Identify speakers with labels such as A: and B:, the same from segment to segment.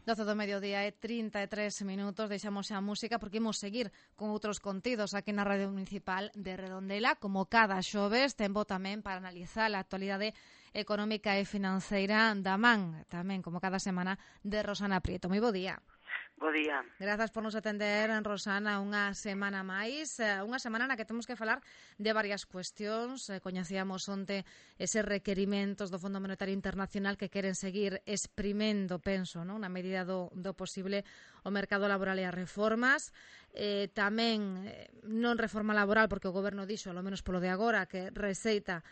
A: 12 do mediodía e 33 minutos, deixamos a música porque imos seguir con outros contidos aquí na Radio Municipal de Redondela, como cada xoves, tempo tamén para analizar a actualidade económica e financeira da man, tamén como cada semana, de Rosana Prieto. Moi bo día.
B: Bo día.
A: Grazas por nos atender, Rosana, unha semana máis, unha semana na que temos que falar de varias cuestións. Coñecíamos onte eses requerimentos do Fondo Monetario Internacional que queren seguir exprimendo, penso, non, na medida do posible o mercado laboral e as reformas. Tamén non reforma laboral, porque o Goberno dixo, ao menos polo de agora, que receita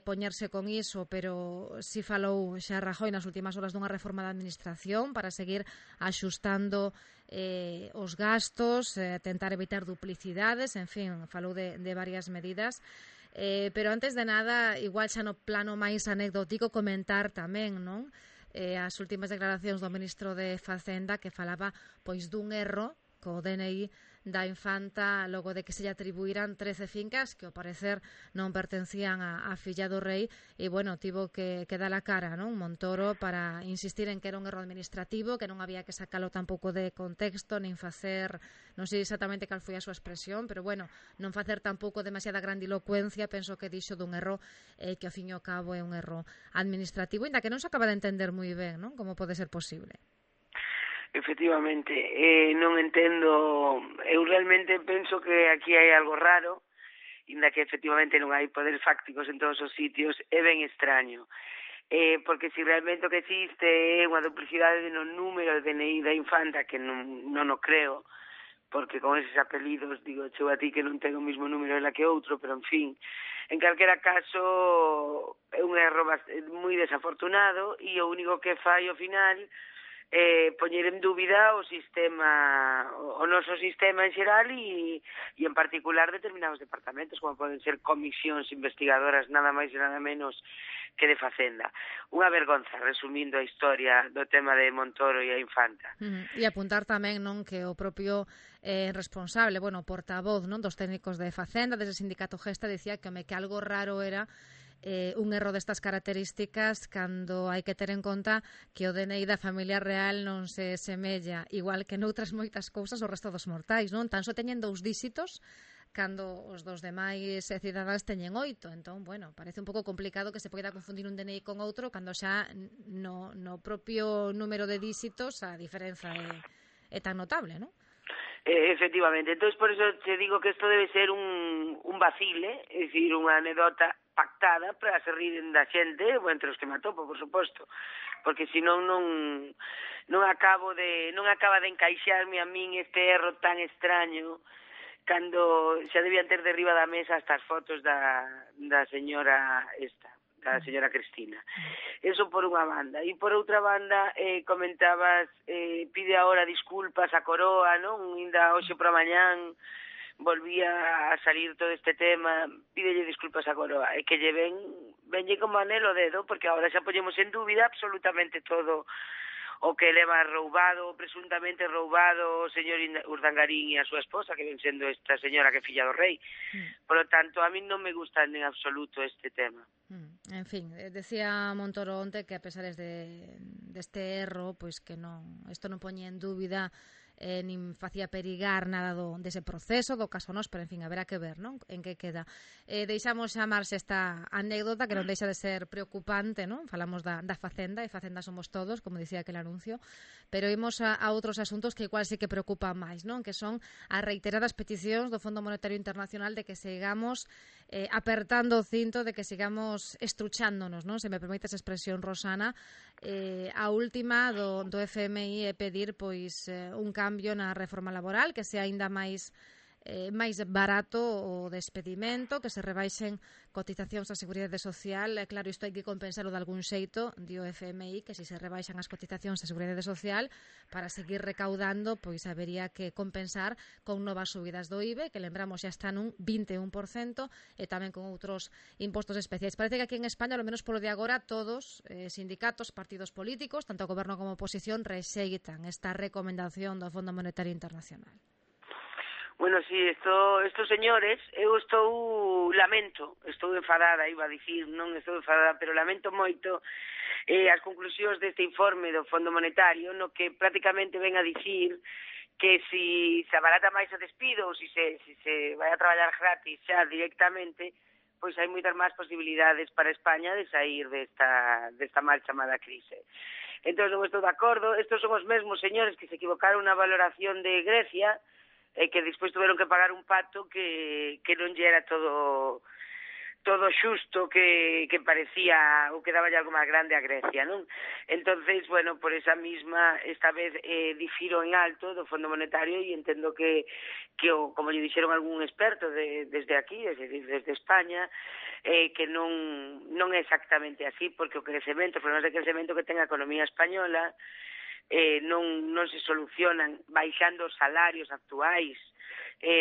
A: poñerse con iso, pero si falou xa Rajoy nas últimas horas dunha reforma da Administración para seguir axustando os gastos, tentar evitar duplicidades, en fin, falou de varias medidas. Pero antes de nada, igual xa no plano máis anecdótico, comentar tamén, non? As últimas declaracións do ministro de Facenda que falaba pois dun erro co DNI da infanta logo de que se lle atribuíran 13 fincas que ao parecer non pertencían a filla do rei e, bueno, tivo que dar a cara, non, Montoro, para insistir en que era un erro administrativo, que non había que sacalo tampouco de contexto, nin facer, non sei exactamente cal foi a súa expresión, pero, bueno, non facer tampouco demasiada grandilocuencia, penso que dixo dun erro que ao fin e ao cabo é un erro administrativo, ainda que non se acaba de entender moi ben, non, como pode ser posible.
B: Efectivamente, non entendo, eu realmente penso que aquí hai algo raro, inda que efectivamente non hai poderes fácticos en todos os sitios, é ben extraño, porque se realmente o que existe é unha duplicidade no número de DNI da infanta, que non o creo, porque con eses apelidos, digo, chego a ti que non ten o mismo número ela que outro, pero en fin, en calquera caso é un erro moi desafortunado e o único que fai ao final poñer en dúbida o sistema, o noso sistema en xeral e en particular determinados departamentos, como poden ser comisións investigadoras nada máis e nada menos que de Facenda. Unha vergonza, resumindo a historia do tema de Montoro e a infanta.
A: E apuntar tamén, non, que o propio responsable, bueno, portavoz, non, dos técnicos de Facenda, desde o sindicato Gesta, dicía que algo raro era un erro destas características cando hai que ter en conta que o DNI da familia real non se semella, igual que noutras moitas cousas, o resto dos mortais, non? Tan só teñen 2 díxitos cando os dos demais cidadáns teñen 8. Entón, bueno, parece un pouco complicado que se poida confundir un DNI con outro cando xa no propio número de díxitos a diferenza é tan notable, non?
B: Efectivamente, entón por eso te digo que isto debe ser un vacile, é dicir, unha anedota pactada para se riren da xente, entre os que me atopo, por suposto, porque senón non acaba de encaixarme a min este erro tan extraño cando xa debían ter derriba da mesa estas fotos da señora da señora Cristina. Eso por unha banda. E por outra banda, comentabas, pide agora disculpas a Coroa, non? Ainda hoxe por a mañán volvía a salir todo este tema, pídelle disculpas a Coroa, e que lle venlle como anelo o dedo, porque agora xa poñemos en dúbida absolutamente todo o que leva roubado, presuntamente roubado o señor Urdangarín e a súa esposa, que ven sendo esta señora que é filla do rei. Por lo tanto, a mí non me gusta en absoluto este tema.
A: En fin, decía Montoro onte que a pesar deste erro, pois que isto non poñía en dúbida nin facía perigar nada dese proceso, do caso nos, pero en fin, haberá que ver, non, en que queda. Deixamos chamarse esta anécdota que non deixa de ser preocupante, non? Falamos da Facenda, e Facenda somos todos, como dicía aquel anuncio, pero imos a outros asuntos que igual sí que preocupan máis, non? Que son as reiteradas peticións do Fondo Monetario Internacional de que sigamos apertando o cinto, de que sigamos estruchándonos, non? Se me permite esa expresión, Rosana. A última do FMI é pedir pois un cambio na reforma laboral, que sea aínda máis barato o despedimento, que se rebaixen cotizacións á Seguridade Social. Claro, isto hai que compensarlo de algún xeito, di o FMI, que se rebaixan as cotizacións á Seguridade Social para seguir recaudando, pois habería que compensar con novas subidas do IBE, que lembramos xa están un 21%, e tamén con outros impostos especiais. Parece que aquí en España, ao menos polo de agora, todos, sindicatos, partidos políticos, tanto o goberno como a oposición, rexeitan esta recomendación do Fondo Monetario Internacional.
B: Bueno, sí, estos señores, eu estou enfadada, iba a dicir, non estou enfadada, pero lamento moito as conclusións deste informe do Fondo Monetario, no que prácticamente ven a dicir que si se abarata máis o despido ou si se vai a traballar gratis xa directamente, pois hai moitas máis posibilidades para España de sair desta mal chamada crise. Entón, non estou de acordo. Estos son os mesmos señores que se equivocaron na valoración de Grecia e que despois tuveron que pagar un pato que non lle era todo xusto, que parecía ou que daba algo máis grande a Grecia, non? Entonces, bueno, por esa misma, esta vez difiro en alto do Fondo Monetario e entendo que como lle dixeron algún experto desde aquí, desde España, que non é exactamente así, porque os problemas de crecemento que ten a economía española non se solucionan baixando os salarios actuais,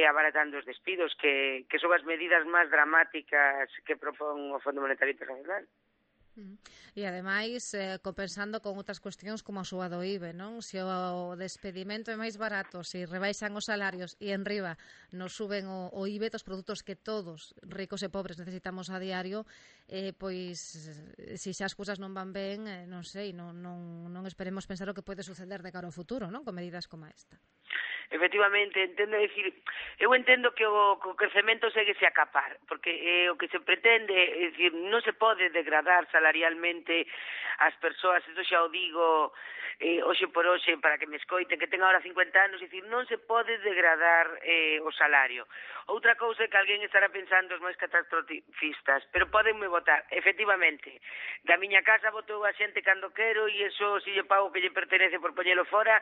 B: abaratando os despidos, que son as medidas máis dramáticas que propón o Fondo Monetario Internacional.
A: E ademais compensando con outras cuestións como a suba do IBE, non? Se o despedimento é máis barato, se rebaixan os salarios e enriba nos suben o IBE dos produtos que todos, ricos e pobres, necesitamos a diario, pois se xa as cousas non van ben, non sei, non esperemos pensar o que pode suceder de cara ao futuro, non? Con medidas como esta.
B: Efectivamente, eu entendo que o crecemento séguese a capar, porque o que se pretende, é dicir, non se pode degradar salarialmente as persoas, isto xa o digo hoxe por hoxe, para que me escoiten, que ten agora 50 anos, é dicir, non se pode degradar o salario. Outra cousa é que alguén estará pensando os máis catastrofistas, pero podenme votar, efectivamente, da miña casa votou a xente cando quero e eso, se lle pago que lle pertenece por poñelo fora,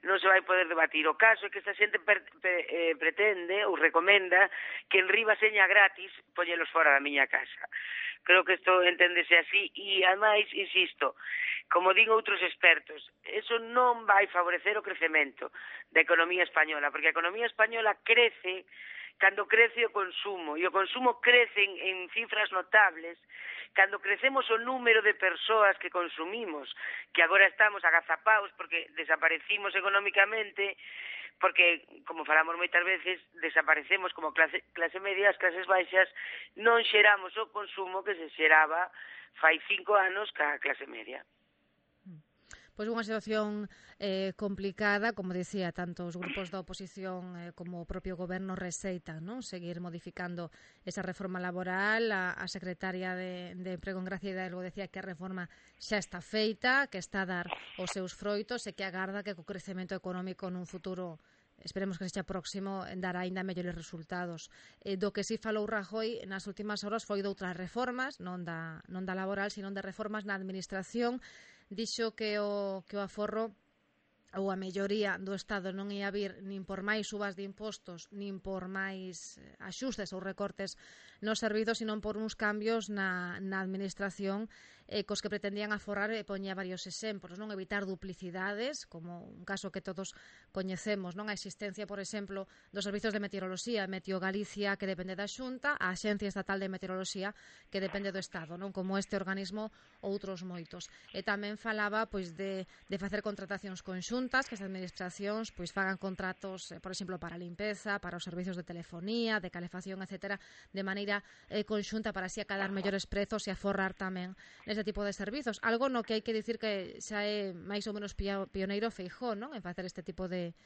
B: non se vai poder debatir. O caso é que esta xente pretende ou recomenda que en riba seña gratis poñelos fora da miña casa. Creo que isto enténdese así e, ademais, insisto, como digo outros expertos, eso non vai favorecer o crecemento da economía española, porque a economía española crece cando crece o consumo, e o consumo crece en cifras notables cando crecemos o número de persoas que consumimos, que agora estamos agazapados porque desaparecimos económicamente, porque, como falamos moitas veces, desaparecemos como clase media, as clases baixas non xeramos o consumo que se xeraba fai 5 anos ca clase media.
A: Pois unha situación complicada, como dicía, tanto os grupos da oposición como o propio goberno receitan, non? Seguir modificando esa reforma laboral. A secretaria de Emprego en Gracia Hidalgo decía que a reforma xa está feita, que está a dar os seus froitos e que agarda que co crecemento económico nun futuro, esperemos que sexa próximo, dará aínda mellores resultados. Do que si falou Rajoy nas últimas horas foi doutras reformas, non da laboral, sino de reformas na administración. Dixo que o aforro ou a melloría do Estado non ia vir nin por máis subas de impostos, nin por máis axustes ou recortes nos servizos, sino por uns cambios na administración cos que pretendían aforrar, e poñía varios exemplos, non? Evitar duplicidades, como un caso que todos coñecemos, non? A existencia, por exemplo, dos servizos de meteoroloxía, Meteo Galicia, que depende da Xunta, a Axencia Estatal de Meteoroloxía, que depende do Estado, non? Como este organismo, outros moitos. E tamén falaba pois de facer contratacións conxuntas, que as administracións pois fagan contratos, por exemplo, para a limpeza, para os servizos de telefonía, de calefacción, etcétera, de maneira conxunta para así acadar mellores prezos e aforrar tamén nese tipo de servizos. Algo no que hai que dicir que xa é máis ou menos pioneiro Feijóo, non? En facer este tipo de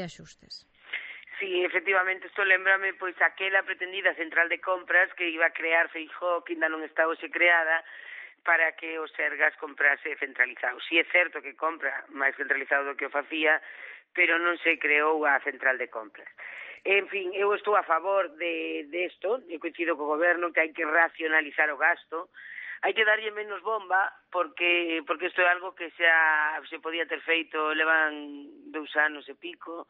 A: axustes.
B: Sí, efectivamente, isto lembrame pois aquela pretendida central de compras que iba a crear Feijóo, que ainda non está hoxe creada, para que o Sergas comprase centralizado. Si é certo que compra máis centralizado do que o facía, pero non se creou a central de compras. En fin, eu estou a favor de isto, eu coincido co goberno que hai que racionalizar o gasto, hai que darlle menos bomba, porque isto é algo que xa se podía ter feito, levan 2 anos e pico,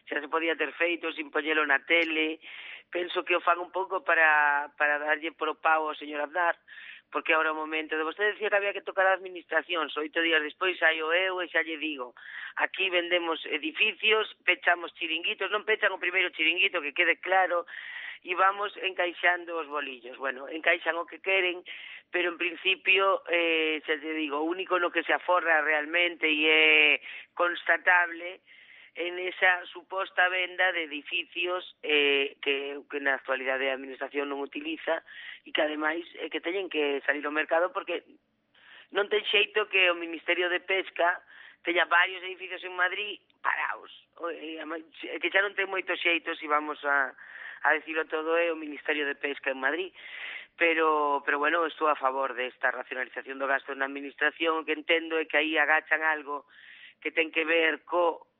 B: xa se podía ter feito sin poñelo na tele. Penso que o fan un pouco para darlle pro pau ao señor Aznar, porque agora o momento de vostede decía que había que tocar a administración, 8 días despois saio eu e xa lle digo, aquí vendemos edificios, pechamos chiringuitos, non pechan o primeiro chiringuito, que quede claro, e vamos encaixando os bolillos. Bueno, encaixan o que queren, pero en principio, xa te digo, o único no que se aforra realmente e é constatable en esa suposta venda de edificios que na actualidade a administración non utiliza e que ademais que teñen que salir ao mercado porque non ten xeito que o Ministerio de Pesca teña varios edificios en Madrid parados, que xa non ten moito xeito se vamos a decirlo todo é o Ministerio de Pesca en Madrid, pero bueno, estou a favor desta racionalización do gasto na administración, que entendo é que aí agachan algo que ten que ver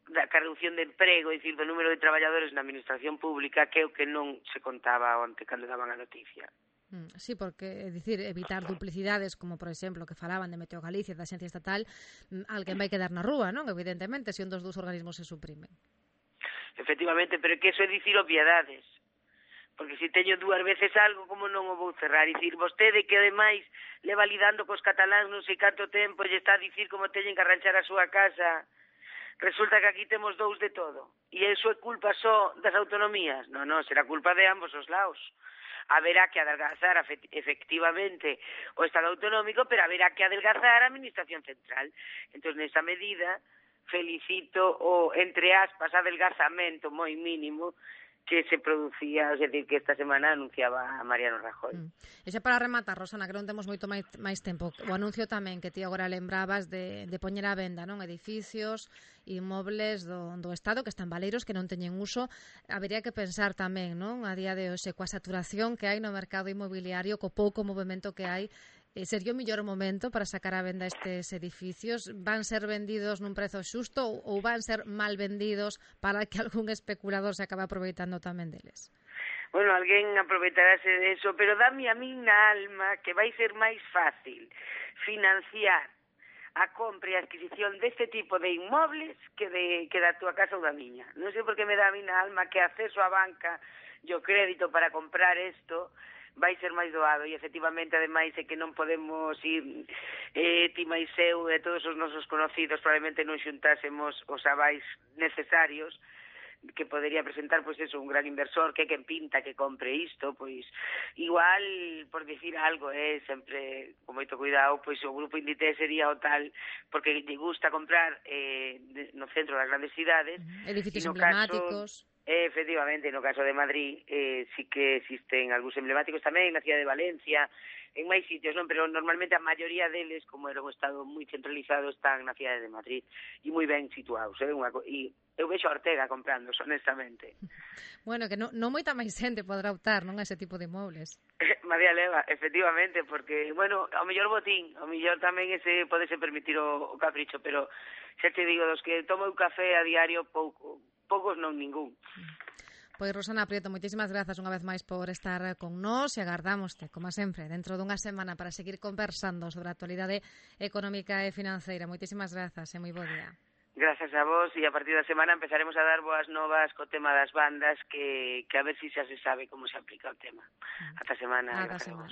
B: da reducción de emprego, é dicir, do número de traballadores na administración pública, que é o que non se contaba onte cando daban a noticia.
A: Sí, porque, é dicir, evitar duplicidades, como, por exemplo, que falaban de Meteo Galicia, da Axencia Estatal, alguén vai quedar na rúa, non? Evidentemente, se un dos dous organismos se suprime.
B: Efectivamente, pero é que eso é dicir obviedades. Porque se teño dúas veces algo, como non o vou cerrar? E dicir, vostede que ademais le validando cos cataláns non sei canto tempo lle está a dicir como teñen que arranxar a súa casa, resulta que aquí temos dous de todo. E iso é culpa só das autonomías? Non, será culpa de ambos os lados. Haberá que adelgazar efectivamente o Estado autonómico, pero haberá que adelgazar a Administración Central. Entón, nesa medida, felicito o, entre aspas, adelgazamento moi mínimo que se producía, é dicir, que esta semana anunciaba a Mariano Rajoy.
A: E xa para rematar, Rosana, que non temos moito máis tempo, o anuncio tamén que ti agora lembrabas de poñer á venda, non, edificios, inmobles do Estado que están baleiros, que non teñen uso. Habería que pensar tamén, non, a día de hoxe, coa saturación que hai no mercado inmobiliario, co pouco movimento que hai, sería o mellor momento para sacar a venda estes edificios? Van ser vendidos nun prezo xusto ou van ser mal vendidos para que algún especulador se acabe aproveitando tamén deles?
B: Bueno, alguén aproveitarase de eso, pero dame a min na alma que vai ser máis fácil financiar a compra e a adquisición deste tipo de inmobles que da túa casa ou da miña. Non sei por que me dá a min na alma que acceso á banca e o crédito para comprar isto vai ser máis doado e efectivamente ademais é que non podemos ir ti máis eu e todos os nosos conocidos probablemente non xuntásemos os avais necesarios que podería presentar pois eso, un gran inversor que quen pinta que compre isto, pois igual por dicir algo, sempre con moito cuidado, pois o grupo Inditex sería o tal porque lle gusta comprar no centro das grandes cidades,
A: edificios emblemáticos.
B: Efectivamente, no caso de Madrid sí que existen algúns emblemáticos tamén na cidade de Valencia, en máis sitios, non, pero normalmente a maioría deles, como era un estado moi centralizado, están na cidade de Madrid e moi ben situados, e eu vexo a Ortega comprando, honestamente.
A: Bueno, que non moita máis xente podrá optar, non, a ese tipo de inmobles.
B: María Leva, efectivamente, porque, bueno, ao mellor botín, ao mellor tamén ese podese permitir o capricho, pero xa te digo, dos que tomo un café a diario, poucos non ningún.
A: Pois, Rosana Prieto, moitísimas grazas unha vez máis por estar con nós e agardámoste, como sempre, dentro dunha semana para seguir conversando sobre a actualidade económica e financeira. Moitísimas grazas e moi bo día.
B: Grazas a vos e a partir da semana empezaremos a dar boas novas co tema das bandas que a ver si xa se sabe como se aplica o tema. Ata semana.
A: Ata semana.